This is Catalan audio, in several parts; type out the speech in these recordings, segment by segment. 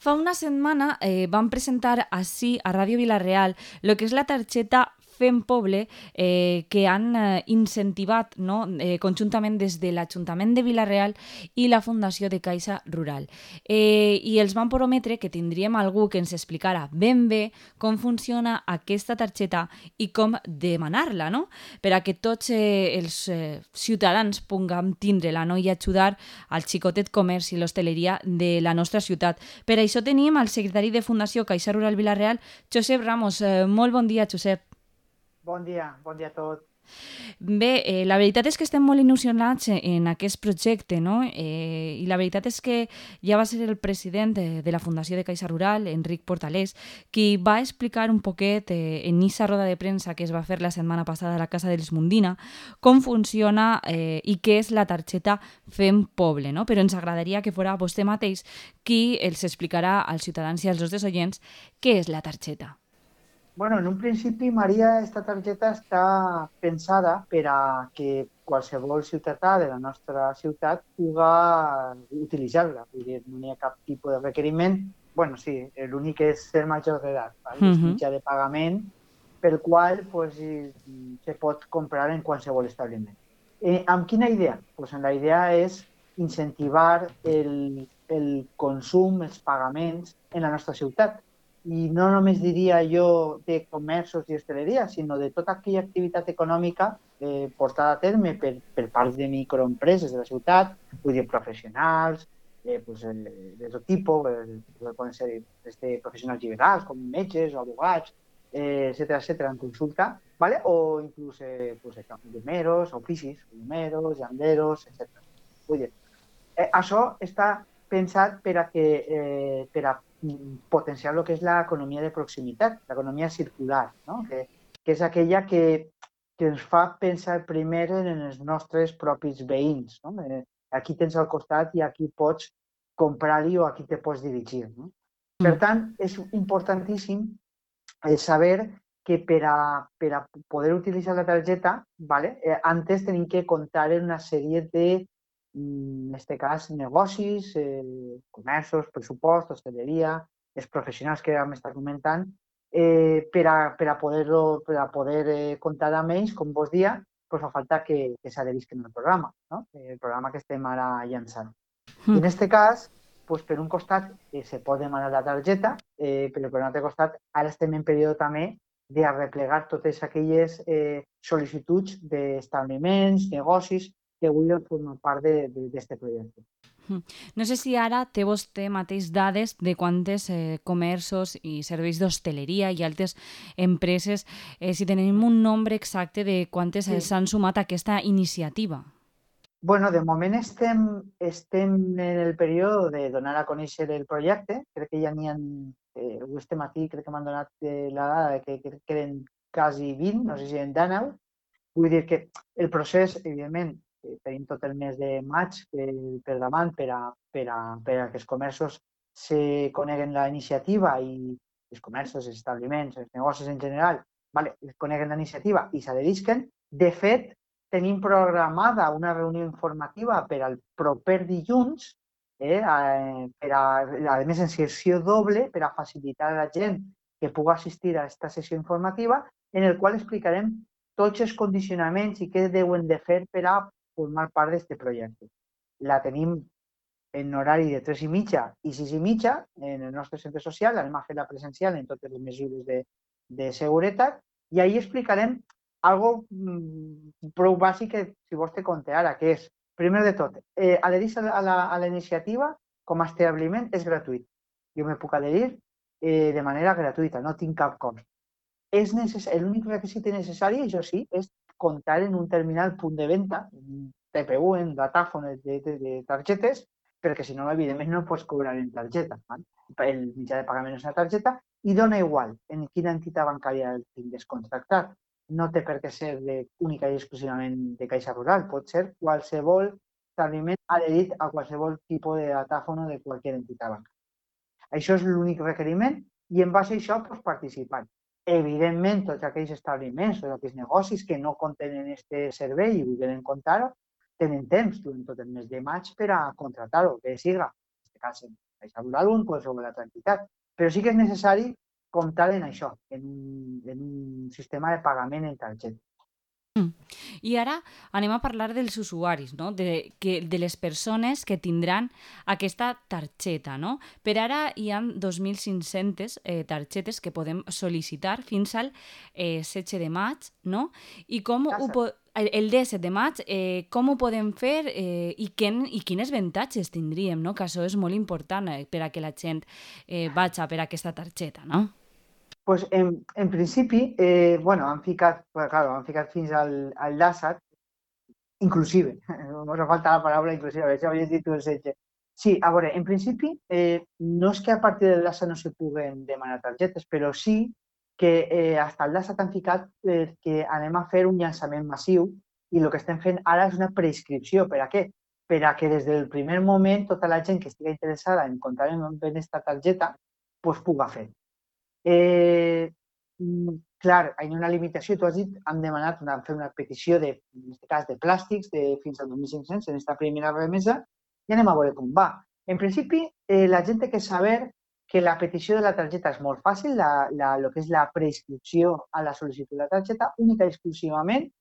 Fa una setmana van presentar així a Ràdio Vilareal el que és la targeta Fem Poble que han incentivat, no? Conjuntament des de l'Ajuntament de Vilareal i la Fundació de Caixa Rural. I els van prometre que tindríem algú que ens explicara ben bé com funciona aquesta targeta i com demanar-la, no? Per a que tots els ciutadans puguem tindre-la, no? I ajudar al xicotet comerç i l'hostaleria de la nostra ciutat. Per això tenim el secretari de Fundació Caixa Rural Vilareal, Josep Ramos. Molt bon dia, Josep. Bon dia a tots. Bé, la veritat és que estem molt il·lusionats en aquest projecte, no? I la veritat és que ja va ser el president de la Fundació de Caixa Rural, Enric Portalés, qui va explicar un poquet en aquesta roda de premsa que es va fer la setmana passada a la Casa dels Mundina com funciona i què és la targeta Fem Poble, no? Però ens agradaria que fora vostè mateix qui els explicarà als ciutadans i als nostres oients què és la targeta. Bueno, en un principi, Maria, esta targeta està pensada per a que qualsevol ciutadà de la nostra ciutat pugui utilitzar-la. Vull dir, no hi ha cap tipus de requeriment. Bueno, sí, l'únic és ser major d'edat. És mitjà de pagament pel qual pues, se pot comprar en qualsevol establiment. Amb quina idea? Pues, la idea és incentivar el consum, els pagaments en la nostra ciutat. I no només diria jo de comerços i hostaleria, sinó de tota aquella activitat econòmica portada a terme per part de microempreses de la ciutat, vull dir, professionals, pues, de tot tipus, poden ser professionals liberals, com metges o abogats, etcètera, en consulta, ¿vale? O inclús pues, llumers, oficis, llumers, llanderos, etcètera. Vull dir, això està pensat per a potenciar el que és l'economia de proximitat, l'economia circular, no? que és aquella que ens fa pensar primer en els nostres propis veïns. No? Aquí tens al costat i aquí pots comprar-hi o aquí te pots dirigir. No? Per tant, és importantíssim saber que per a poder utilitzar la targeta, ¿vale? Antes tenim que comptar en una sèrie de, en aquest cas, negocis, comerços, pressupost, hostaleria, els professionals que vam estar comentant, per a poder comptar amb ells, com vos dia, pues fa falta que s'adherisquen al programa, no? El programa que estem ara llançant. I en aquest cas, pues, per un costat se pot demanar la targeta, però per un altre costat ara estem en període també d'arreplegar totes aquelles sol·licituds d'establiments, negocis que vulguin formar part d'aquest projecte. No sé si ara té vostè mateix dades de quantes comerços i serveis d'hostaleria i altres empreses, si tenim un nombre exacte de quantes s'han sumat a aquesta iniciativa. Bueno, de moment estem en el període de donar a conèixer el projecte. Crec que ja n'hi ha, este matí crec que m'han donat la dada de que crec que eren quasi 20, no sé si en 19. Vull dir que el procés, evidentment, tenim tot el mes de maig per davant per a que els comerços se coneguen la iniciativa i els comerços, els establiments, els negocis en general, vale, coneguen la iniciativa i s'adherisquen. De fet, tenim programada una reunió informativa per al proper dilluns, a més en sessió doble, per a facilitar a la gent que pugui assistir a aquesta sessió informativa, en el qual explicarem tots els condicionaments i què deuen de fer per a formar part d'aquest projecte. La tenim en horari de 3:30 i 6:30 en el nostre centre social, anem a fer-la presencial en totes les mesures de seguretat i ahir explicarem algo prou bàsic que, si vols, te conté ara, que és, primer de tot, adherir-se a la iniciativa com a establiment és gratuït. Jo me puc adherir de manera gratuïta, no tinc cap cost. L'únic requisit necessari, això sí, és comptar en un terminal punt de venda, un TPU, en datàfon de targetes, perquè si no, evidentment, no pots cobrar en targeta. Val? El mitjà de pagament és una targeta i dona igual en quina entitat bancària el tingues contractat. No té per què ser única i exclusivament de Caixa Rural, pot ser qualsevol establiment adherit a qualsevol tipus de datàfon de qualsevol entitat bancària. Això és l'únic requeriment i en base a això pots participar. Evidentment, tots aquells establiments, tots aquells negocis que no contenen aquest servei i volen comptar-ho, tenen temps durant tot el mes de maig per a contratar-ho, que siga, en aquest cas, caixa rural o en qualsevol altra entitat. Però sí que és necessari comptar en això, en un sistema de pagament en targeta. I ara anem a parlar dels usuaris, no? De les persones que tindran aquesta targeta. No? Per ara hi ha 2.500 targetes que podem sol·licitar fins al 16 de maig. No? I com el 17 de maig, com ho podem fer i quines avantatges tindríem? No? Que això és molt important per a que la gent vagi per aquesta targeta. No? Pues en principi, bueno, han ficat fins al LASAT, inclusive, nos falta la paraula inclusive, a veure si havies dit tu el setge. Sí, a veure, en principi, no és que a partir del LASAT no se puguen demanar targetes, però sí que hasta el LASAT han ficat que anem a fer un llançament massiu i el que estem fent ara és una prescripció. Per a què? Per a que des del primer moment tota la gent que estigui interessada en comptar amb aquesta targeta pues, puga fer. Clar, hi ha una limitació, tu has dit, hem demanat fer una petició, en aquest cas, de plàstics fins al 2.500 en aquesta primera remesa i anem a veure com va. En principi, la gent té que saber que la petició de la targeta és molt fàcil, el que és la preinscripció a la sol·licitud de la targeta, única i exclusivament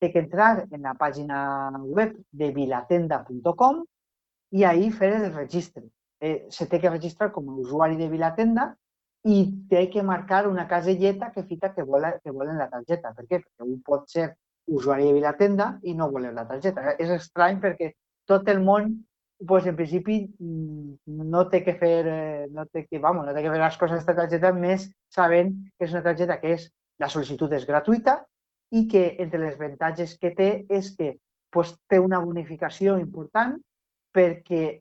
té que entrar en la pàgina web de vilatenda.com i ahir fer el registre. Se té que registrar com a usuari de Vilatenda i té que marcar una caselleta que fica que volen la targeta. Per què? Perquè un pot ser usuari de Vilatenda i no voler la targeta. És estrany perquè tot el món, pues, en principi, no té que fer, no té que fer les coses d'aquesta targeta més sabent que és una targeta que la sol·licitud és gratuïta i que entre les avantatges que té és que pues, té una bonificació important perquè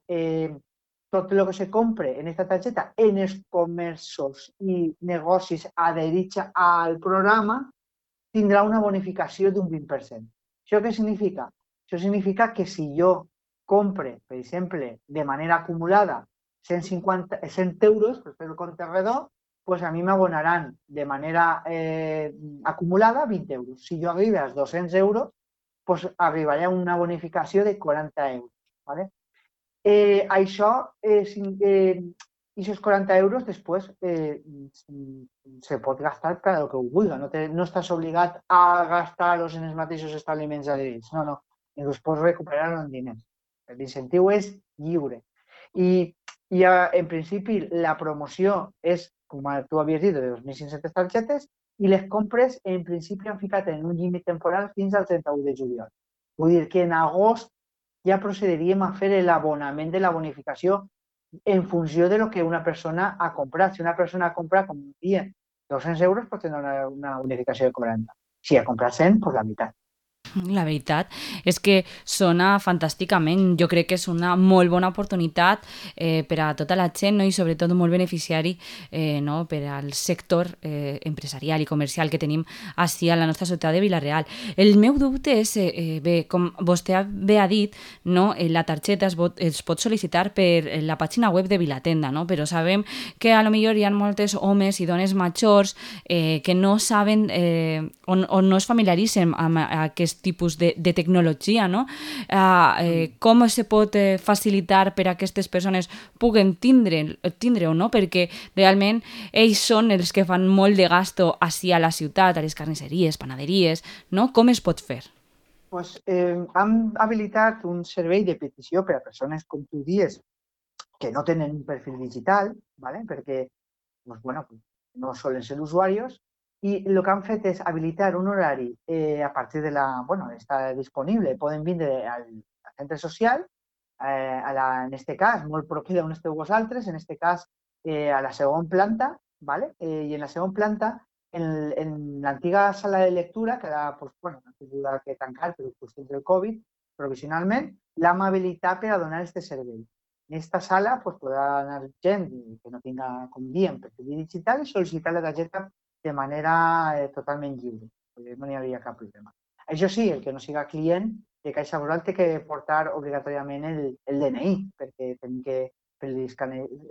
tot el que se compre en aquesta targeta en els comerços i negocis adherits al programa tindrà una bonificació d'un 20%. Això què significa? Això significa que si jo compre, per exemple, de manera acumulada 100 euros, per fer el compte redó, pues a mi m'abonaran de manera acumulada 20 euros. Si jo arribo als 200 euros, pues arribaré a una bonificació de 40 euros. ¿Vale? Això, aquests 40 euros després se pot gastar per el que ho vulgui. No estàs obligat a gastar-los en els mateixos establiments adherits. No. Els pots recuperar en diners. L'incentiu és lliure. I en principi la promoció és, com tu havies dit, de 2.500 targetes i les compres en principi han ficat en un límit temporal fins al 31 de juliol. Vull dir que en agost ja procediríem a fer l'abonament de la bonificació en funció de lo que una persona ha comprat. Si una persona ha comprat, com dia, 200 euros, pot tenir una bonificació de 40. Si ha comprat 100, doncs la meitat. La veritat és que sona fantàsticament. Jo crec que és una molt bona oportunitat per a tota la gent, no? I sobretot molt beneficiari no? Per al sector empresarial i comercial que tenim així a la nostra ciutat de Vila-real. El meu dubte és, bé, com vostè bé ha dit, no? La targeta es pot sol·licitar per la pàgina web de Vilatenda, no? Però sabem que a lo millor hi ha moltes homes i dones majors que no saben o no es familiaritzen amb aquest tipus de tecnologia, no? Com se pot facilitar per a aquestes persones puguen tindre-ho, no? Perquè realment ells són els que fan molt de gasto així a la ciutat, a les carnisseries, panaderies, no? Com es pot fer? Pues, hem habilitat un servei de petició per a persones, com tu dius, que no tenen un perfil digital, ¿vale? Perquè pues, bueno, no solen ser usuaris, i el que han fet és habilitar un horari a partir de està disponible. Poden vindre al centre social, en aquest cas, molt proper d'on esteu vosaltres, en aquest cas a la segona planta, ¿vale? I en la segona planta, en l'antiga sala de lectura, que ara ha tingut que tancar per qüestions del Covid, provisionalment, l'hem habilitat per a donar aquest servei. En aquesta sala podrà anar gent que no tinga, com diem, perfil digital i sol·licitar la targeta de manera totalment lliure. No hi hauria cap problema. Això sí, el que no siga client de Caixa Rural té que portar obligatòriament el DNI, perquè tenim que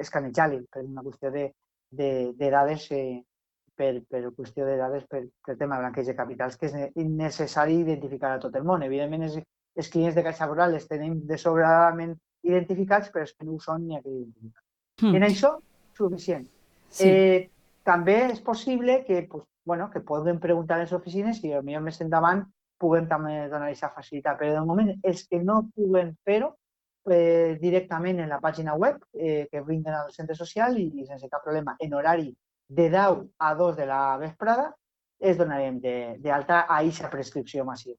escanejar-li per una qüestió de dades, per qüestió de dades per tema de blanqueig de capitals, que és necessari identificar a tot el món. Evidentment, els clients de Caixa Rural els tenim de sobradament identificats, però és que no ho són ni a que identificar. Hmm. En això, suficient. Sí. També és possible que, pues, bueno, que puguem preguntar a les oficines i potser més endavant puguem també donar aquesta facilitat. Però de moment els que no puguen fer-ho directament en la pàgina web que brinden al centre social i sense cap problema en horari de 10 a 2 de la vesprada es donarem d'alta a aquesta prescripció massiva.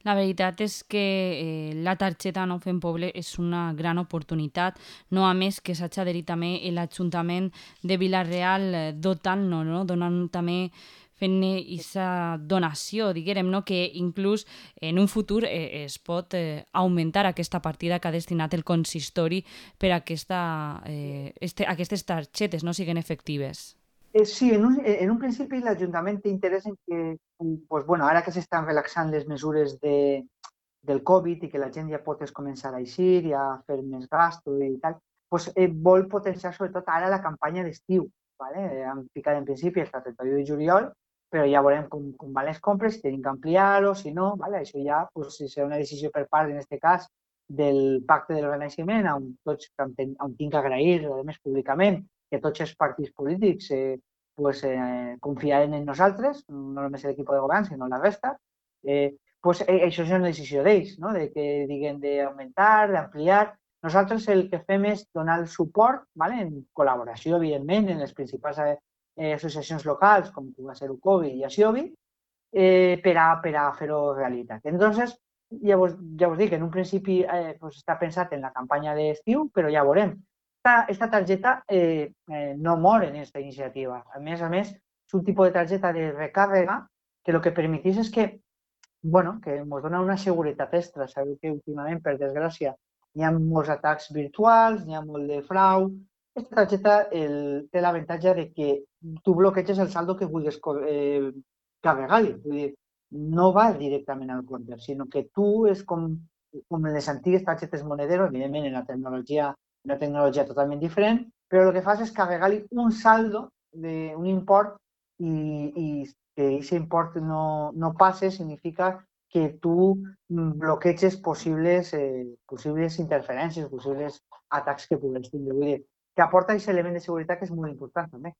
La veritat és que la targeta No Fem Poble és una gran oportunitat, no a més que s'ha adherit també l'Ajuntament de Vila-real dotant-nos, no? Donant també fent aquesta donació, diguem, no? Que inclús en un futur es pot augmentar aquesta partida que ha destinat el consistori per a aquestes targetes no siguin efectives. Sí, en un principi l'Ajuntament té interès en que, pues, bueno, ara que s'estan relaxant les mesures del Covid i que la gent ja pot començar a eixir i a fer més gasto i tal, pues, vol potenciar sobretot ara la campanya d'estiu. ¿Vale? Hem ficat en principi el 31 de juliol, però ja veurem com van les compres, si tenim que ampliar-ho, si no, ¿vale? Això ja pues, si serà una decisió per part, en aquest cas, del pacte de l'organizament, on tots on tinc que agrair, a més públicament, que tots els partits polítics pues, confiaren en nosaltres, no només l'equip de govern, sinó la resta, pues, això és una decisió d'ells, no? De que diguen d'augmentar, d'ampliar. Nosaltres el que fem és donar el suport, ¿vale? En col·laboració, evidentment, en les principals associacions locals, com pugui ser UCOBI i ASIOBI, per a fer-ho realitat. Entonces, ja us dic, en un principi pues està pensat en la campanya d'estiu, però ja veurem. Esta targeta no mor en aquesta iniciativa. A més, és un tipus de targeta de recàrrega que el que permetís és que, bueno, que ens dona una seguretat extra. Sabeu que últimament, per desgràcia, hi ha molts atacs virtuals, hi ha molt de frau. Aquesta targeta té l'avantatge de que tu bloqueges el saldo que vulguis carregar-hi. Vull dir, no va directament al compte, sinó que tu és com les antigues targetes Monedero, evidentment en una tecnologia totalment diferent, però el que fas és carregar-li un saldo d'un import i que aquest import no passe significa que tu bloqueges possibles interferències, possibles atacs que pugues tindre. Vull dir, que aporta aquest element de seguretat que és molt important també.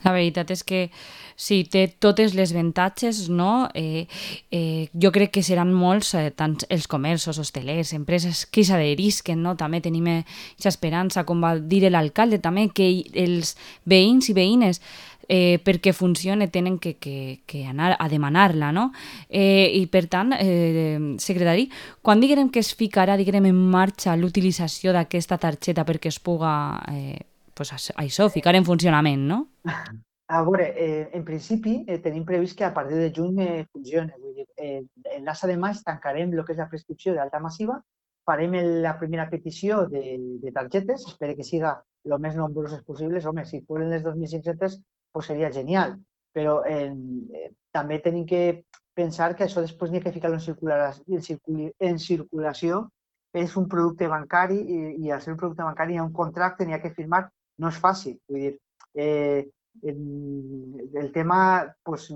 La veritat és que sí, té totes les avantatges, no? Jo crec que seran molts, tant els comerços, hostelers, empreses que s'adherisquen, no? També tenim aquesta esperança, com va dir l'alcalde també, que els veïns i veïnes perquè funcione tenen que anar a demanar-la, no? I per tant, secretari, quan diguem que es ficarà en marxa l'utilització d'aquesta targeta perquè es puga pues això, ficar en funcionament, no? A veure, en principi tenim previst que a partir de juny funcioni. Vull dir, en l'ASA de maig tancarem el que és la prescripció d'alta massiva, farem la primera petició de targetes, espero que siga el més nombroses possibles. Home, si foren les 2.500, pues seria genial. Però també tenim que pensar que això després n'hi ha que ficar-lo en circulació. És un producte bancari i al ser un producte bancari hi ha un contracte, n'hi ha que firmar. No és fàcil. Vull dir, el tema, pues,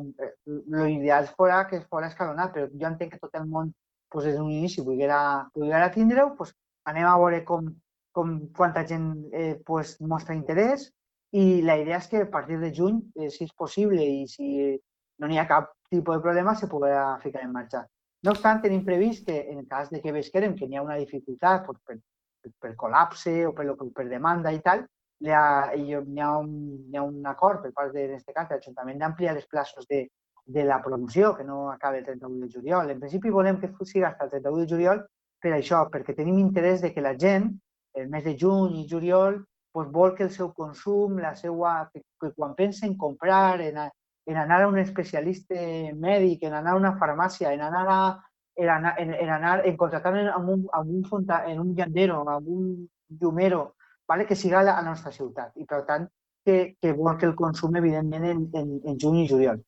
lo ideal fora que fos escalonat, però jo entenc que tot el món pues, des d'un inici volguera tindre-ho, pues, anem a veure quanta gent pues, mostra interès i la idea és que a partir de juny, si és possible i si no n'hi ha cap tipus de problema, se podrà ficar en marxa. No obstant, tenim previst que en cas de que veiem que n'hi ha una dificultat pues, per col·lapse o per demanda i tal, hi ha un acord per part, en aquest cas, de l'Ajuntament d'ampliar els plaços de la promoció, que no acaba el 31 de juliol. En principi volem que sigui fins al 31 de juliol per això, perquè tenim interès de que la gent, el mes de juny i juliol, pues, vol que el seu consum, que quan pensa en comprar, en anar a un especialista mèdic, en anar a una farmàcia, en contractar en un llandero, en un llumero, vale? Que siga a la nostra ciutat i, per tant, que vol que el consum, evidentment, en juny i juliol.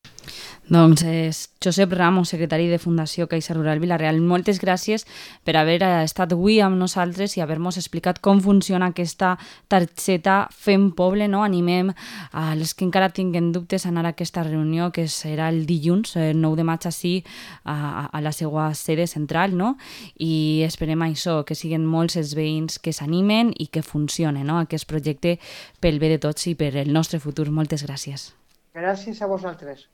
Doncs és Josep Ramos, secretari de Fundació Caixa Rural Vila-real. Moltes gràcies per haver estat avui amb nosaltres i haver-nos explicat com funciona aquesta targeta Fem Poble. No? Animem a les que encara tinguen dubtes a anar a aquesta reunió, que serà el dilluns, el 9 de maig, així, a la seva sede central, no? I esperem això, que siguin molts els veïns que s'animen i que funcione, no? Aquest projecte pel bé de tots i per el nostre futur. Moltes gràcies. Gràcies a vosaltres.